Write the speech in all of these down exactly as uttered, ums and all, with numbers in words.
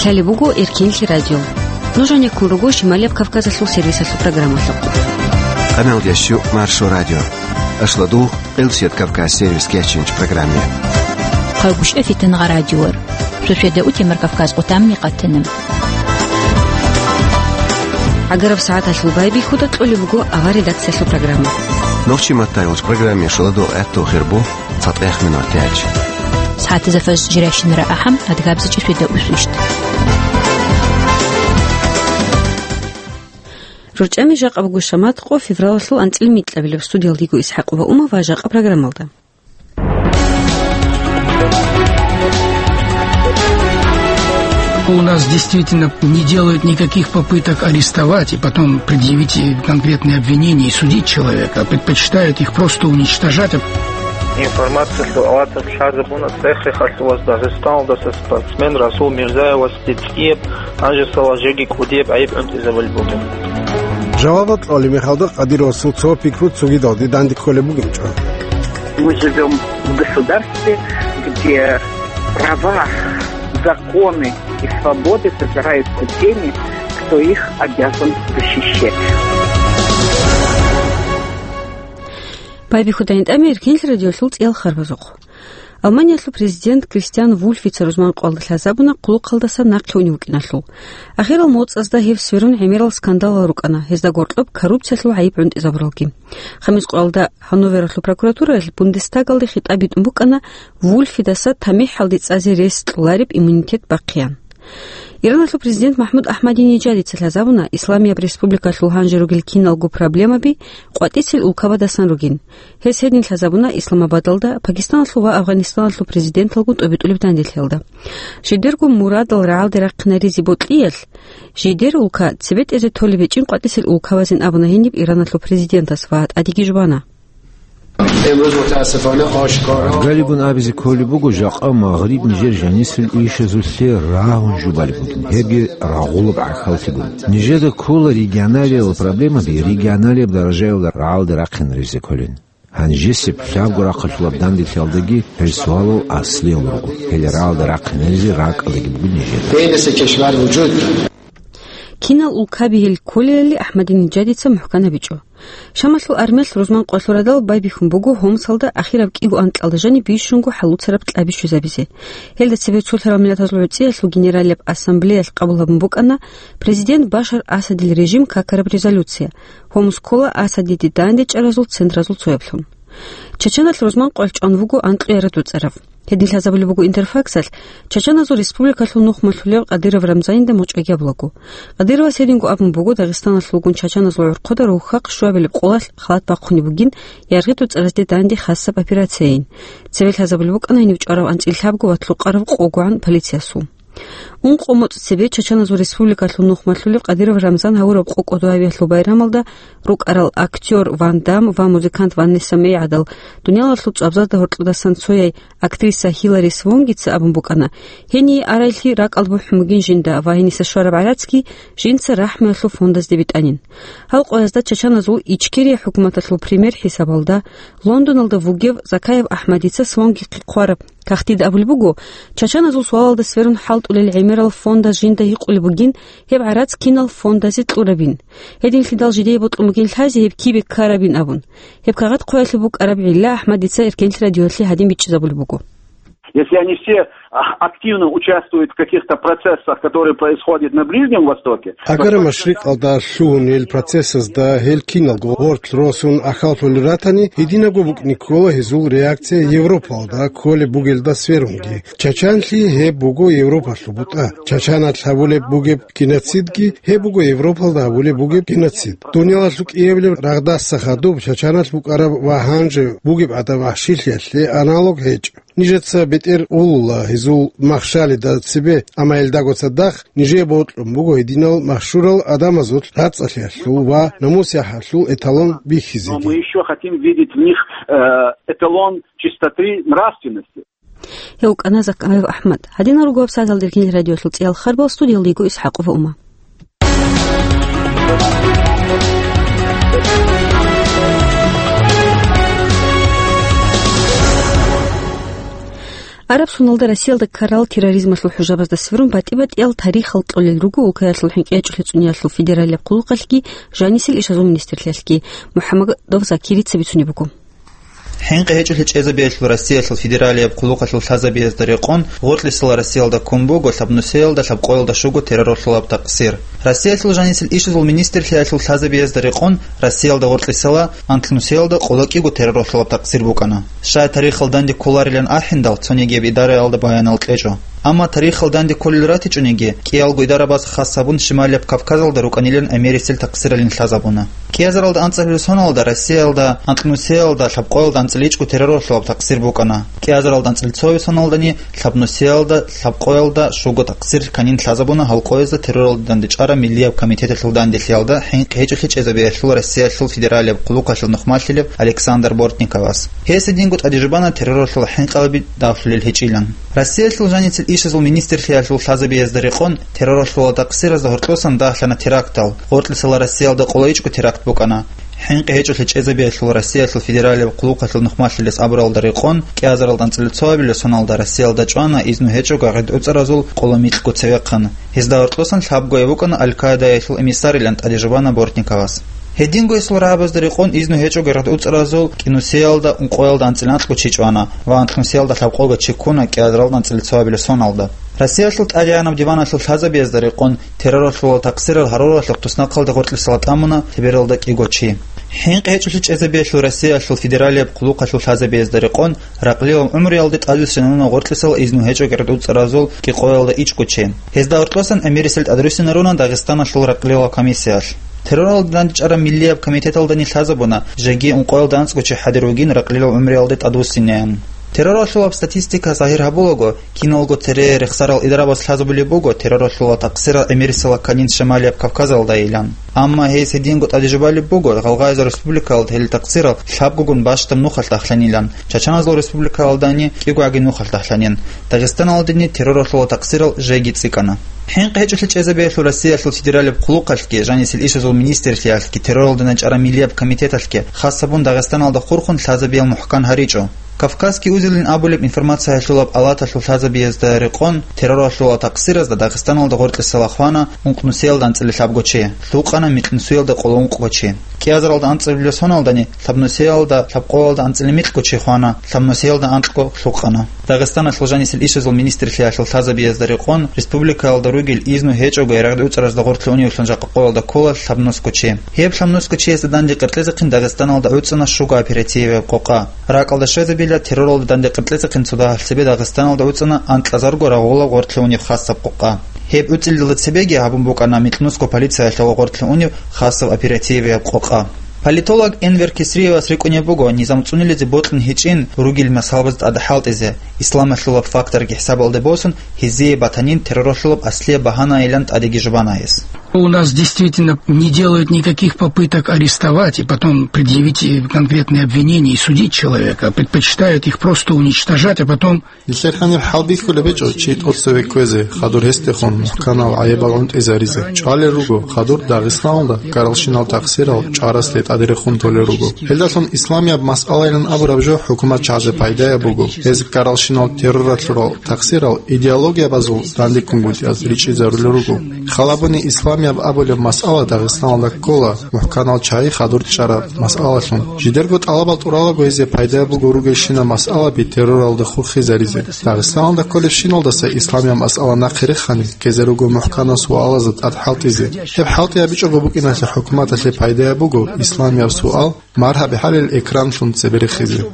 Гьале буго Эркенлъи радио. Нуж гьанеккун руго Шималияб Кавказалъул сервисалъул программалъухъ. Къаналдияс щу Маршо радио. Ашладу, Къилсият Кавказ сервис кечинч программе. Хъагушев Фитангъа радиор. Шошеда утемар Кавказ къутамни къатана. ГӀагараб сагӀаталъул байбихьуда кьолеб буго авар редакциялъул программа. Нохчи маттайулч программе шаладу гӀатту хирбу. ЦатӀех минутач. СагӀатизе фаж жирайщинара ахӀам, адгабзичӀи швида усвищт. РорчӀами жакъа буго шамат къо февралалъул анцӀил микьабилеб. Студиялдиго ИсхӀакъ ва Ума ва жакъа программалда. У нас действительно не делают никаких попыток арестовать и потом предъявить конкретные обвинения и судить человека, а предпочитают их просто уничтожать. Информациялъул аваталъ лъазабуна цӀех-цӀехалъуваз Дагъистаналдаса спортсмен Расул Мирзаевасде цӀияб, гьанжесала жеги кӀудияб гӀайиб гӀунтӀизабулеб бугеб. Жавабал кьолеб мехалда Кадыровасул цо пикру цогидалде данде кколеб бугинчӀо. Мы живём в государстве, где права, законы и свободы попираются теми, кто их обязан защищать. Байбихьуда гьитӀами Эркенлъи радиолъул цӀиял харбазухъ. Алманиялъул президент Кристиан Вульфица рузман къоялда лъазабуна хъулухъалдаса нахъе унев вукӀиналъул. Ахирал моцӀазда гьев сверун гӀемерал скандалал рукӀана, гьезда гъоркьоб коррупциялъул гӀайиб гӀунтӀизабуралги. Хамис къоялда Ханновералъул прокуратураялъ Бундестагалде хитӀаб битӀун букӀана Вульфидаса тамихӀалде цӀазе рес кьолареб иммунитет бахъеян. Ираналъул президент МахӀмуд Ахмадинежадица лъазабуна Исламияб республикалъул гьанже ругел киналго проблемаби къватӀицел улкабадасан ругин. Гьес гьедин лъазабуна Исламабадалда, Пакистаналъул ва Афганистаналъул президенталгун тӀобитӀулеб данделъиялда. Жидерго мурадал рагӀалде рахъинаризе бокьиялъ, жидер улка цебетӀезе толеб гьечӀин къватӀицел улкабазин абуна гьениб Ираналъул президентас ва тӀадеги жубана. Галигун абизе кколеб буго, жакъа Магъриб нижер жанисел ишазулъе рагьун жубалеб бугин, гьебги рагъулаб гӀахьаллъи бугин. Нижеда ккола регионалиял проблемаби регионалияб даражаялда рагӀалде рахъинаризе кколин. Гьанжесеб лъабго рахъалъулаб данделъиялдаги гьел суалал аслиял руго, гьел рагӀалде рахъинаризе ракӀалдаги буго нижеда. Кинал улкаби гьел кколелали Ахмадинежадица мухӀкан гьабичӀо. Шамалъул армиялъ рузман къоялъул радал байбихьун буго Хомсалда ахираб кӀиго анкьалда жаниб бищунго хӀалуцараб кьаби щвезабизе. Гьелда цебе цолъарал миллатазул гӀуцӀиялъул генералияб ассамблеялъ къабул гьабун букӀана президент Башар Асадил режим какараб резолюция, Хомс ккола Асадиде дандечӀаразул центразул цояблъун. Чачаналъ рузман къоялъ чӀван вуго анкьияраб дуцӀарав. Гьедин лъазабулеб буго Интерфаксалъ, чачаназул республикалъул нухмалъулев Кадыров Рамзанинда мочӀаги абулаго. Кадыровас гьединго абун буго, Дагъистаналъулгун чачаназул гӀурхъуда рухьахъ щуабилеб къолалъ халат бахъунеб бугин, яргъи дуцӀаразде данде хасаб операция ин. Цеве лъазабулеб букӀана гьенив чӀварав анцӀил лъабго ва лъукъараб къогогӀан полициясул. Ункъо моцӀ цебе чачаназул республикалъул нухмалъулев Кадыров Рамзан гьавураб къо кӀодо гьавиялъул байрамалда рукӀарал актёр Ван Дам ва музыкант Ванесса Мей гӀадал дуниялалъул цӀвабзазда гьоркьодасан цояй актриса Хилари Свонгица абун букӀана, гьение арайлъи ракӀалда бухӀун бугин жинда ва гьениса щвараб гӀарацги жинца рахӀмуялъул фондазде битӀанин. Гьал къоязда чачаназул Ичкерия хӀукуматалъул премьер хӀисабалда Лондоналда вугев Закаев Ахмадица Свонгихъе хъвараб кагътида абулеб буго, чачаназул суалалда сверун хӀалтӀулел гӀемерал фондаз жинда гьикъулеб бугин, гьеб гӀарац кинал фондазе кьурабин. Гьединлъидал жидее бокьун бугин лъазе гьеб кибе ккарабин абун. Гьеб кагъат хъваялъе букӀараб гӀилла Ахмадица Эркенлъи радиоялъе гьадин бичӀчӀизабулеб буго. Если они все, а, активно участвуют в каких-то процессах, которые происходят на Ближнем Востоке, Агара машрикъалда лъугьунел процессазда гьел киналго гъорлъ росун ахӀаллъулел ратани, гьединабго букӀине ккола гьезул реакция Европалда кколеб бугелда сверунги. Чачанлъи гьеб буго Европалъул бутӀа. Чачаналъ гьабулеб бугеб геноцидги гьеб буго Европалда гьабулеб бугеб геноцид. Дуниялалъул кӀиабилеб рагъдаса хадуб чачаналъ букӀараб ва гьанже бугеб гӀадаб вахӀшилъиялъе аналог гьечӀо. Нижеца бетӀер улула гьезул махщалида цебе, амма гьелдаго цадахъ нижее бокьун буго гьединал машгьурал гӀадамазул рацӀцӀалъиялъул ва намус-яхӀалъул эталон бихьизеги. Но мы ещё хотим видеть в них, э, эталон чистоты нравственности. Гьев вукӀана Закаев Ахмад. Гьадинал руго вебсайталда Эркенлъи радиоялъул цӀиял харбал, студиялда йиго ИсхӀакъова Ума. Араб соналда Россиялда ккарал терроризмалъул хӀужабазда сверун батӀи-батӀиял тарихал кьолел руго улкаялъул хӀинкъи гьечӀолъи цӀуниялъул федералияб хъулухъалъги жанисел ишазул министрлъиялъги. МухӀаммадов Закирица бицунеб буго. ХӀинкъи гьечӀолъи чӀезабиялъул Россиялъул федералияб хъулухъалъул лъазабиязда рекъон гъоркьисала Россиялда ккун буго лъабнусиялда лъабкъоялда щуго терроралъулаб такъсир. Россиялъул жанисел ишазул министрлъиялъул лъазабиязда рекъон Россиялда гъоркьисала анлънусиялда къоло кӀиго терроралъулаб такъсир букӀана. Щай тарихал данде кколарилан ахӀиндал, цонигияб идараялда баянал кьечӀо. Амма тарихал данде кколел ратичӀониги, кӀиялго идарабаз хас гьабун Шималияб Кавказалда рукӀанилан гӀемерисел такъсиралин лъазабуна. КӀиазаралда анцӀабилеб соналда Россиялда анлънусиялда лъабкъоялда анцӀила ичӀго терроралъулаб такъсир букӀана. КӀиазаралда анцӀила цояб соналдани лъабнусиялда лъабкъоялда щуго такъсир кканин лъазабуна гьал къоязда терроралда дандечӀараб миллияб комитеталъул данделъиялда хӀинкъи гьечӀолъи чӀезабиялъул Россиялъул федералияб хъулухъалъул нухмалъилев Александр Бортниковас. Гьес гьединго тӀадежбана терроралъул хӀинкъиялъул давлъулел гьечӀилан. Россиялъул жанисел ишазул министрлъиялъул лъазабиязда рекъон терроралъулал такъсиразда гьоркьосан дагьлъана терактал, гъоркьисала Россиялда къоло ичӀго теракт букӀана. ХӀинкъи гьечӀолъи чӀезабиялъул Россиялъул федералияб хъулухъалъул нухмалъилес абуралда рекъон, кӀиазаралда анцӀила цоябилеб соналда Россиялда чӀвана изну гьечӀого гӀердуцӀаразул къоло микьго цевехъан. Гьезда гьоркьосан лъабгояб букӀана Аль-Каидаялъул эмиссарилан тӀадежбана Бортниковас. Гьединго гьесул рагӀабазда рекъон изну гьечӀого гӀердуцӀаразул кӀинусиялда ункъоялда анцӀила анкьго чи чӀвана ва анлънусиялда лъабкъого чи ккуна кӀиазаралда анцӀила цоябилеб соналда. Россиялъул ТӀадегӀанаб диваналъул лъазабиязда рекъон терроралъулал такъсирал гьаруралъухъ туснахъалда гъоркьисала тӀамуна лъебералда кӀиго чи. ХӀинкъи гьечӀолъи чӀезабиялъул Россиялъул федералияб хъулухъалъул лъазабиязда рекъон ракълилал гӀумруялде тӀадвуссинаруна гъоркьисал изну гьечӀого гӀердуцӀаразул кӀикъоялда ичӀго чи. Гьезда гьоркьосан гӀемерисел тӀадруссинаруна Дагъистаналъул ракълилал комиссиялъ. Терроралда дандечӀараб миллияб комитеталдани лъазабуна, жеги ункъоялда анцӀго чи хӀадур вугин ракълилал гӀумруялде тӀадвуссинеян. Терроралъулаб статистика загьир гьабулаго, киналго цере рехсарал идарабаз лъазабулеб буго терроралъулал такъсирал гӀемерисела кканин Шималияб Кавказалдайилан. Амма гьес гьединго тӀадежбалеб буго, гъалгъайзул республикалда гьел такъсирал лъабгогун бащдаб нухалъ дагьлъанилан, Чачаназул республикалдани кӀиго гӀаги нухалъ дагьлъанин, Дагъистаналдани терроралъулал такъсирал жеги цӀикӀкӀана. ХӀинкъи гьечӀолъи чӀезабиялъул Россиялъул федералияб хъулухъалъги жанисел ишазул министрлъиялъги терроралда дандечӀараб миллияб комитеталъги хас гьабун Дагъистаналда хурхун лъазабиял мухӀкан гьаричӀо. Кавказский узелин абулеб информация гьелъулаб палаталъул лъазабиязда рекъон терроралъулал такъсиразда Дагъистаналда гъоркьисала хвана ункънусиялда анцӀила лъабго чи, лъукъана микьнусиялда къоло ункъго чи. КӀиазаралда анцӀабилеб соналдани лъабнусиялда лъабкъоялда анцӀила микьго чи хвана, лъабнусиялда анкьго лъукъана. Дагъистаналъул жанисел ишазул министрлъиялъул лъазабиязда рекъон республикаялда ругел изну гьечӀого гӀердуцӀаразда гъорлъе уневлъун жакъа къоялда ккола лъабнусго чи. Гьеб лъабнусго чиясда данде къеркьезехъин Дагъистаналда гӀуцӀана щуго оперативияб къокъа. Ракъалда щвезабила терроралда данде къеркьезехъин цо дагьал цебе Дагъистаналда гӀуцӀана анкьазарго рагъулаб гъорлъе унеб хасаб къокъа. Гьеб гӀуцӀилалда цебеги гьабун букӀана микьнусго полициялъул гъорлъе унеб хасаб оперативияб къокъа. Политолог Энвер Кесриевас рикӀкӀунеб буго низам цӀунилизе бокьун гьечӀин ругел масъалабаз тӀаде хӀалтӀизе, исламалъулаб факторги хӀисабалде босун, гьезие батанин терроралъулаб аслияб багьанайилан тӀадеги жубана гьес. У нас действительно не делают никаких попыток арестовать и потом предъявить, э, конкретные обвинения и судить человека, а предпочитают их просто уничтожать, а потом... Нилъер гьаниб хӀалбихьулеб гьечӀо чи тӀоцеве кквезе, хадур гьесдехун мухӀканал гӀайибал гӀунтӀизаризе. ЧӀвалел руго, хадур Дагъистаналда ккаралщинал такъсирал чӀарасе тӀадерехун толел руго. Гьелдалъун исламияб масъалайилан абураб жо хӀукуматчагӀазе пайдаяб буго. Гьез ккаралщинал терроралъурал такъсирал идеологиябазул дандеккунгутӀиялъ ричӀчӀизарулел руго. Халабуни исламияб абулеб масъала Дагъистаналда ккола, мухӀканал чагӀи хадур чӀараб масъалалъун. Жидерго тӀалабал тӀуралаго гьезие пайдаяб буго ругелщинаб масъалаби терроралда хурхизаризе. Дагъистаналда кколебщиналдаса исламияб масъала нахъе рехани, ккезе руго мухӀканал суалазда тӀад хӀалтӀизе. Гьеб хӀалтӀи гьабичӀого букӀиналъе хӀукуматалъе пайдаяб буго исламияб суал маргьаби гьабил экранлъун цебе рехизе.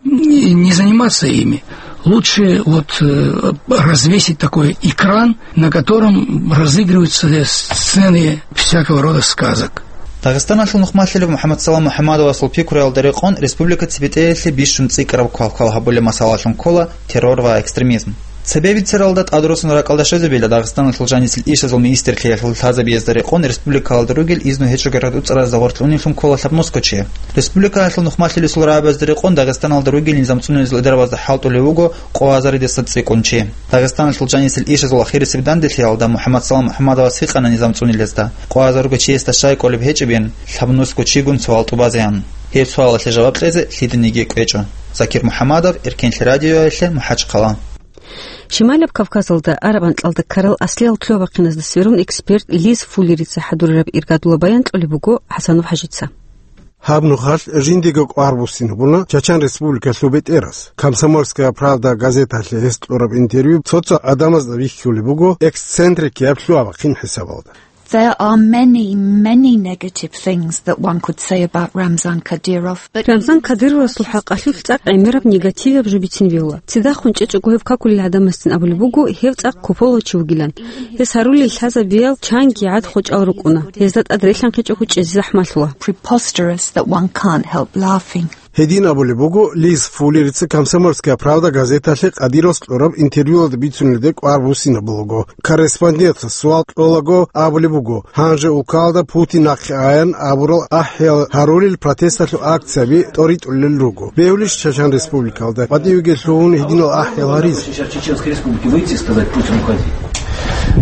Не, не заниматься ими. Лучше вот, э, развесить такой экран, на котором разыгрываются сцены всякого рода сказок. Дагъистаналъул нухмалъилев МухӀаммадсалам МухӀаммадовасул пикруялда рекъон республика цебетӀеялъе бищун цӀикӀкӀараб квалквал гьабулеб масъалалъун ккола террор ва экстремизм. Цебе бицаралда тӀадруссун ракӀалда щвезабила Дагъистаналъул жанисел ишазул министрлъиялъул лъазабиязда рекъон республикалда ругел изну гьечӀого гӀердуцӀаразда гъорлъе уневлъун ккола лъабнусго чи. Республикаялъул нухмалъилесул рагӀабазда рекъон Дагъистаналда ругел низам цӀунилезул идарабазда хӀалтӀулев вуго къо азаридаса цӀикӀкӀун чи. Дагъистаналъул жанисел ишазул ахирисеб данделъиялда МухӀаммадсалам МухӀаммадовас гьикъана низам цӀунилезда, къо азарго чиясда щай кӀолеб гьечӀебин, лъабнусго чигун суал тӀубазеян. Гьеб суалалъе жаваб кьезе лъиданиги кӀвечӀо. Закир МухӀаммадов, Эркенлъи радиоялъе, МахӀачхъала. Шималаб Кавказалда араб анкьалда ккарал аслиял лъугьа-бахъиназда сверун эксперт Лиз Фуллерица хӀадурараб иргадула баян кьолеб буго ХӀасанов ХӀажица. Гьаб нухалъ жиндиего кӀвар буссинабуна Чачан Республикалъул бетӀерас. «Комсомольская правда» газеталъе гьес кьураб интервью цо-цо гӀадамазда бихьулеб буго эксцентрикияб лъугьа-бахъин хӀисабалда. There are many, many negative things that one could say about Ramzan Kadyrov, but Рамзан Кадыровасул хӀакъалъулъ цӀакъ гӀемераб негативияб жо бицин бегьула. Цидахун чӀечӀого гьев какулел гӀадамасцин абулеб буго, гьев цӀакъ куполав чи вугилан. Гьес гьарулел лъазабиял чанги гӀад хочӀал рукӀуна. Гьезда тӀад релъанхъичӀого чӀезе захӀмалъула. Preposterous that one can't help laughing. Гьедин абулеб буго Лиз Фуллерица «Комсомольская правда» газеталъе Кадыровас кьураб интервьюялда бицунелде кӀвар буссинабулаго. Корреспондентас суал кьолаго абулеб буго, гьанже улкалда Путин нахъе аян абурал ахӀиял гьарулел протесталъул акцияби тӀоритӀулел руго. Бегьулищ Чачан Республикалда батӀиябиги лъугьун гьединал ахӀиял гьаризе? Сейчас Чеченской Республики выйти и сказать: «Путин, уходи».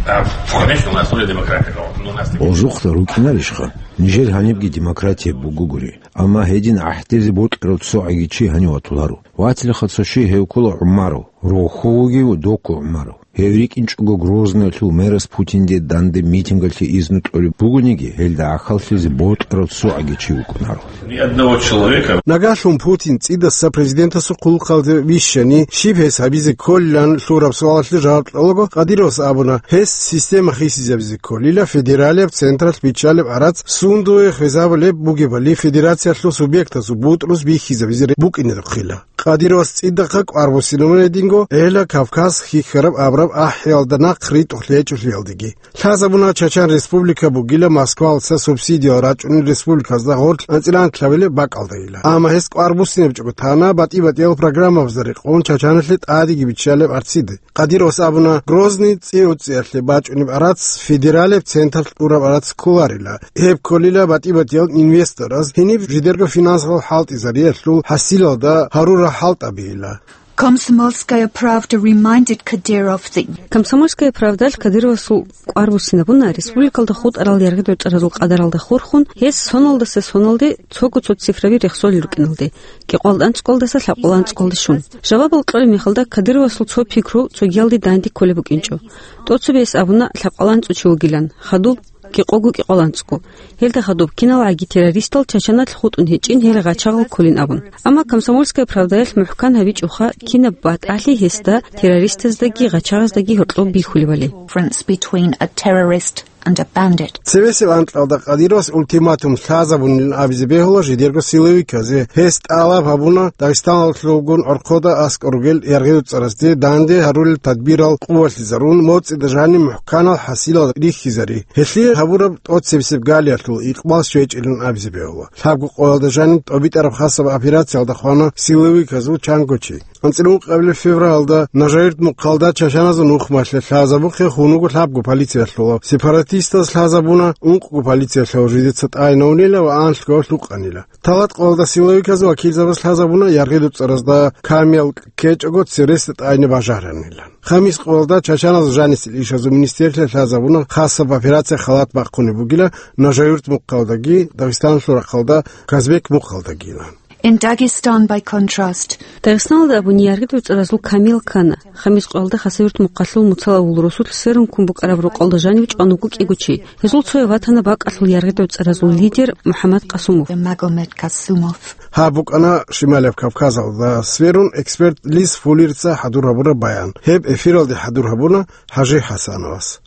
А, конечно, у нас уже демократия, но у нас... Гъожухъда рукӀинарищха? Нижер гьанибги демократия бугогури. Амма гьедин гӀахьдизе бокьарав цо гӀаги чи гьанив ватуларо. Ватилаха цо щий, гьев ккола ГӀумаров, рогьо вугев Доку ГӀумаров. Гьев рикӀкӀинчӀого Грозноялъул мерас Путинде данде митингалъе изну кьолеб бугониги, гьелда гӀахьаллъизе бокьарав цо гӀаги чи вукӀунаро. Ни одного человека. Нагагьлъун Путин цӀидаса президентасул хъулухъалде вищани, щиб гьес гьабизе кколилан лъураб суалалъе жаваб кьолаго, Кадыровас абуна, гьес система хисизабизе кколила, федералияб централъ биччалеб гӀарац сундуе хвезабулеб бугебали, федерациялъул субъектазул бутӀрус бихьизабизе букӀинедухъила. Кадыровас цӀидахъа кӀвар буссинабуна гьединго, гьела Кавказ хьихьараб абураб ахӀиялда нахъ ритӀухълъи гьечӀолъиялдеги. Лъазабуна Чачан Республика бугила Москвалца субсидиял рачӀунел республиказда гъорлъ анцӀила анкьабилеб бакӀалдайила. Амма гьес кӀвар буссинабичӀого тана батӀи-батӀиял программабазда рекъон Чачаналъе тӀадеги биччалеб арциде. Кадыровас абуна, Грозный цӀи-уцӀиялъе бачӀунеб арац федералеб централъ кьураб арац кколарила. Гьеб кколила батӀи-батӀиял инвестораз гьениб жидерго финансовал хӀалтӀизариялъул хӀасилалда гьарурал хӀалтӀабийила. Комсомольская правда reminded Kadyrov that Комсомольская правдалъ Кадыровасул кӀвар буссинабуна республикалда хутӀарал яргъи-дурцӀаразул къадаралда хурхун, гьес соналдаса соналде цого-цо цифраби рехсолел рукӀиналде, кӀикъоялда анцӀкӀолдаса лъабкъоялда анцӀкӀолде щун. Жавабал кьолеб мехалда Кадыровасул цо пикру цогиялде данде кколеб букӀинчӀо. ТӀоцебе гьес абуна лъабкъоялда анцӀго чи вугилан, хадуб кӀикъого кӀикъоялда анцӀго. Гьелда хадуб киналгӀаги террористал Чачаналъ хутӀун гьечӀин, гьел гъачагъал кколин абун. Амма Комсомольская правдаялъ мухӀкан гьабичӀоха, кинаб батӀалъи гьесда террористаздаги гъачагъаздаги гьоркьоб бихьулебали. Difference between a terrorist and a bandit. Цевесеб анкьалда Кадыровас ультиматум лъазабунилан абизе бегьула жидерго силовиказе. Гьес тӀалаб гьабуна Дагъистаналъулгун гӀорхъода аскӀор ругел яргъи-дурцӀарасде данде гьарулел тадбирал къувалъизарун, моцӀида жаниб мухӀканал хӀасилал рихьизари. Гьелъие гьабураб тӀоцебесеб галиялъул икъбал щвечӀилан абизе бегьула. Лъабго къоялда жаниб тӀобитӀараб хасаб операциялда хвана силовиказул чанго чи. АнцӀила ункъабилеб февралда Нажаюрт мухъалда чачаназул нухмалъе лъазабухъе хун вуго лъабго полициялъулав. Сепаратистаз лъазабуна ункъго полициялъулав, жидеца тӀайнавунила ва анлъго лъукъанила. Талат къоялда силовиказул вакилзабаз лъазабуна яргъи-дурцӀаразда камиял ккечӀого цересда тӀайне бажаранилан. Хамис къоялда чачаназул жанисел ишазул министрлъи лъазабуна хасаб операция халат бахъунеб бугила Нажаюрт мухъалдаги, Дагъистаналъул рахъалда Казбек мухъалдагилан. In Dagestan, by contrast, Дагъистаналда абуни яргъи-дурцӀаразул камиял ккана. Хамис къоялда Хасавюрт мухъалъул Муцал авул росулъ сверун ккун букӀараб рокъалда жанив чӀван вуго кӀиго чи. Гьезул цояв ватана бакӀалъул яргъи-дурцӀаразул лидер МухӀаммад Къасумов. Magomed Kasumov. Гьаб букӀана Шималияб Кавказалда сверун эксперт Лиз Фуллерица хӀадур гьабураб баян. Гьеб эфиралде хӀадур гьабуна ХӀажи ХӀасановас.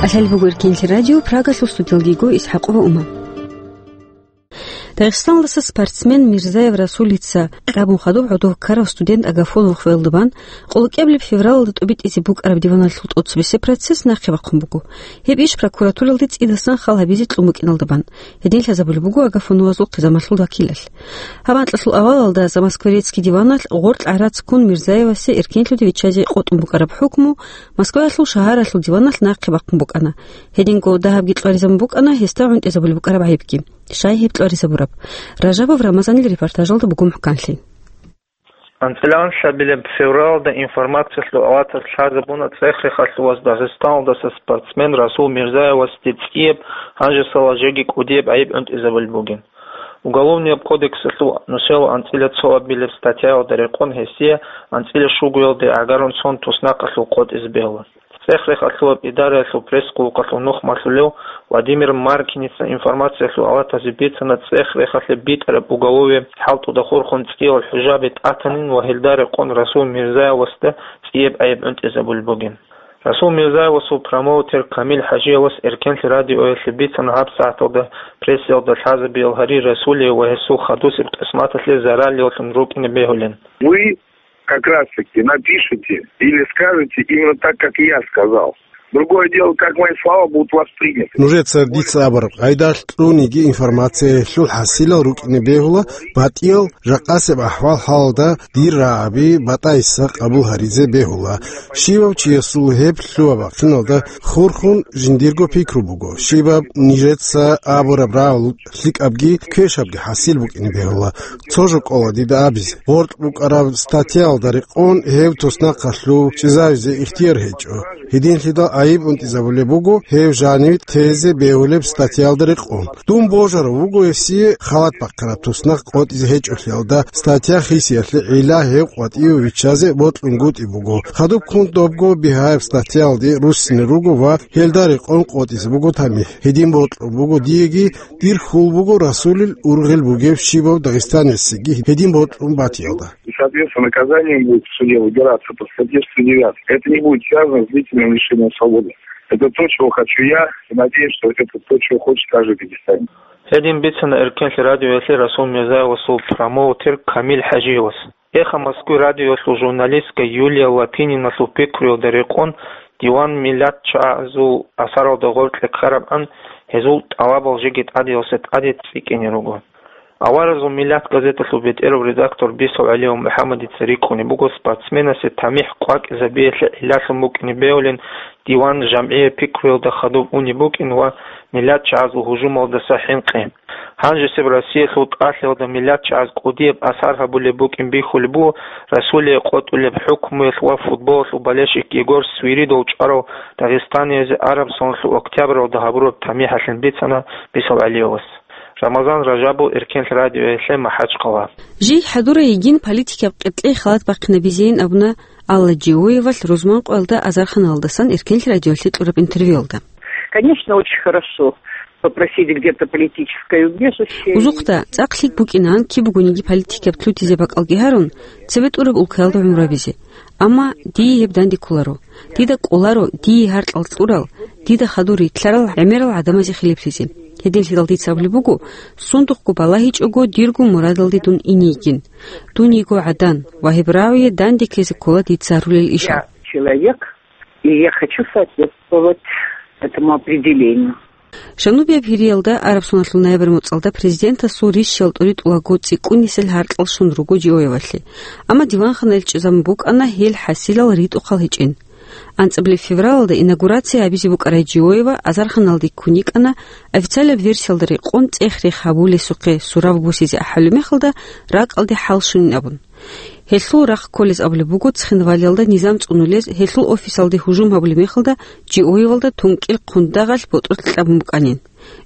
КӀалъалеб буго Эркенлъи радио, Прагалъул студиялдего ИсхӀакъова Ума. Дагъистаналдаса спортсмен Мирзаев Расулица кьабун хадуб гӀодов ккарав студент Агафонов хвелда бан, къолокӀиябилеб февралалда тӀобитӀизе букӀараб диваналъул тӀоцебесеб процесс нахъе бахъун буго. Гьеб иш прокуратуралде цӀидасан хал гьабизе кьун букӀиналда бан. Гьедин лъазабулеб буго Агафоновазул хъизамалъул вакилалъ. Гьаб анкьалъул авалалда Замоскворецкий диваналъ гъоркь гӀарац ккун Мирзаевасе эркенлъуде виччазе къотӀун букӀараб хӀукму Москваялъул шагьаралъул диваналъ нахъе бахъун букӀана. Гьединго дагьабги кьваризабун букӀана гьесда гӀунтӀизабулеб букӀараб гӀайибги, щай гьеб кьваризабураб. Ражабов Рамазанил репортажалда буго мухӀканлъи. АнцӀила анлъабилеб февралда информациялъул авалалъ лъазабуна ЦӀехехалъуваз Дагъистаналдаса спортсмен Расул Мирзаевасде цӀияб, гьанжесала жеги кӀудияб гӀайиб гӀунтӀизабулеб бугин. Уголовнияб кодексалъул нусиялъул анцӀила цоабилеб статьяялда рекъон гьесие анцӀила щугоялде гӀагарун цон туснахъалъув къотӀизе бегьула. ЦӀех-рехалъулаб идараялъул пресс-къуллукъалъул нухмалъулев Владимир Маркиница информациялъул алатазе бицана цӀех-рехалъе битӀараб уголовияб хӀалтӀуда хурхун цӀиял хӀужаби тӀатанин ва гьелда рекъон Расул Мирзаевасда цӀияб гӀайиб гӀунтӀизабулеб бугин. Расул Мирзаевасул промоутер Камил ХӀажиевас Эркенлъи радиоялъе бицана гьабсагӀаталда прессиялда лъазабиял гьари Расулие ва гьесул хадусеб къисматалъе зараллъун рукӀине бегьулин. Вы как раз-таки напишите или скажете именно так, как я сказал. Другое дело, как мои слова будут восприняты. Нужеца дица абураб къайдалъ кьуниги информациялъул хӀасилал рукӀине бегьула батӀиял жакъасеб ахӀвал-хӀалалда дир рагӀаби батӀайса къабул гьаризе бегьула. Щивав чиясул гьеб лъугьа-бахъиналда хурхун жиндирго пикру буго, щибаб нижеца абураб рагӀул лъикӀабги квешабги хӀасил букӀине бегьула. Цо жо кӀола дида абизе. Гъоркь букӀараб статьяялда рекъон гьев туснахъалъув чӀезавизе ихтияр гьечӀо. Гьединлъидал гӀайиб унтӀизабулеб буго гьев жанив тезе бегьулеб статьяялда рекъон. Дун божарав вуго гьесие халат бахъараб туснахъ къотӀизе гьечӀолъиялда статья хисиялъе гӀилла гьев къватӀиве виччазе бокьунгутӀи буго. Хадубккун добго бигьаяб статьялде руссине руго ва гьелда рекъон къотӀизе буго тамихӀ. Гьедин бокьун буго диеги, дир хьул буго Расулил ургъел бугев щибав дагъистанецаги гьедин бокьун батиялда. И, соответственно, наказание будет в суде выбираться по статье сто девятой. Это не будет связано с длительным лишением свободы. Это то, чего хочу я, и надеюсь, что это то, чего хочет каждый дагестанец. Гьедин бицана Эркенлъи радиоялъе Расул Мирзаевасул промоутер Камил ХӀажиевас. Эхо Москвы радиоялъул журналистка Юлия Лапининалъул пикруялда рекъон диван миллатчагӀазул асаралда гъоркье ккарабгӀан гьезул тӀалабал жеги тӀадеялъе тӀаде цӀикӀкӀине руго. Аваразул миллат газеталъул бетӀерав редактор Бисов ГӀалиев МухӀаммадица рикӀкӀунеб буго спортсменасе тамихӀ къвакӀизабиялъе гӀиллалъун букӀине бегьулин диван жамгӀияб пикруялда хадуб унеб букӀин ва миллатчагӀазул гьужумалдаса хӀинкъи. Гьанжесеб Россиялъул тӀалъиялда миллатчагӀаз кӀудияб асар гьабулеб букӀин бихьулеб буго Расулие къотӀулеб хӀукмуялъ ва футболалъул болельщик Егор Свиридов чӀварав дагъистаниязе араб соналъул октябралда гьабураб тамихӀалъин бицана Бисов ГӀалиевас. Рамазан Ражабов, Эркенлъи радиоялъе МахӀачхъала. Жий хӀадурай йигин политикаб къеркьей халат бахъинабизейин абуна Алла Джиоевалъ рузманкъоялда азарханалдасан Эркенлъи радиоялъе кьураб интервьюялда. Конечно, очень хорошо попросить где-то политическое убежище. Узухъда, цӀакъ лъикӀ букӀинан киб бугониги политикаб лъутизе бакӀалги гьарун, цебе тӀураб улкаялда гӀумру гьабизе. Амма дие гьеб данде кколаро. Дида кӀоларо дие гьаркьал кьурал, дида хадур рилълъарал гӀемерал гӀадамазе хилиплъизе. Гьединлъидал дица абулеб буго, сундухъго балагьичӀого дирго мурадалде дун ине йигин. Дун йиго гӀадан ва гьеб рагӀуе данде ккезе ккола дица гьарулел ишал. Я человек, и я хочу соответствовать этому определению. Жанубияб Гьириялда араб соналъул ноябрь моцӀалда президентасул рищал тӀуритӀулаго цӀикӀкӀунисел гьаркьал щун руго Джиоевалъе. Амма диванханаялъ чӀезабун букӀана гьел хӀасилал ритӀухъал гьечӀин. АнцӀабилеб февралалда инаугурация гьабизе букӀарай Джиоева азарханалде ккун йикӀана, официалаб версиялда рекъон цӀех-рех гьабулесухъе сураб бусизе ахӀулеб мехалда ракӀалде хӀал щунин абун. Гьелъул рахъ кколез абулеб буго Цхинвалиялда низам цӀунулез, гьелъул офисалде гьужум гьабулеб мехалда Джиоевалда тункӀил хъундагъалъ ботӀролъи кьабун букӀанин.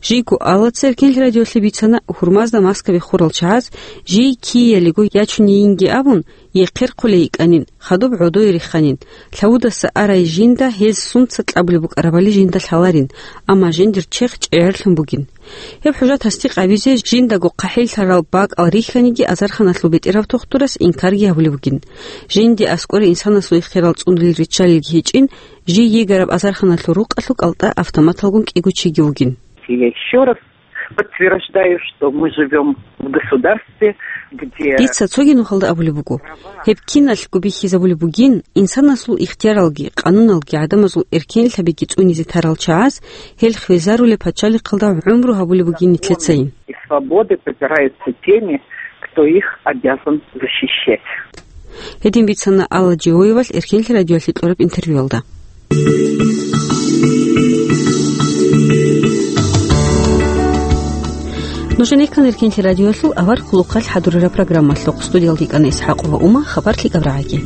Жийго Аллаца Эркенлъи радиоялъе бицана, гьурмазда маскаби хурал чагӀаз жий киялиго ячунейинги абун, ехъерхъулей йикӀанин, хадуб гӀодое рихханин, лъавудаса арай жинда гьез сунца кьабулеб букӀарабали жинда лъаларин, амма жиндир чехъ чӀегӀерлъун бугин. Гьеб хӀужа тасдикъ гьабизе жиндаго хъахӀиллъарал бакӀал рихьаниги азарханалъул бетӀерав тухтурас инкарги гьабулеб бугин. Жинде аскӀоре инсанасул ихтиярал цӀунулел риччалилги гьечӀин, жий йигараб азарханалъул рукъалъул кӀалтӀа автоматалгун кӀиго чиги вугин. Я ещё раз подтверждаю, что мы живём в государстве, где... Дица цоги нухалда абулеб буго, гьеб киналъго бихьизабулеб бугин, инсанасул ихтияралги, къануналги, гӀадамазул эркенлъабиги цӀунизе тарал чагӀаз гьел хвезарулеб пачалихъалда гӀумру гьабулеб бугин нилъецайин. И свободы попираются теми, кто их обязан защищать. Гьедин бицана Алла Джиоевалъ Эркенлъи радиоялъе кьураб интервьюялда. Нуж гӀенеккан Эркенлъи радиоялъул авар хъулухъалъ хӀадурараб программалъухъ. Студиялда йикӀана ИсхӀакъова Ума, хабар лъикӀаб рагӀаги.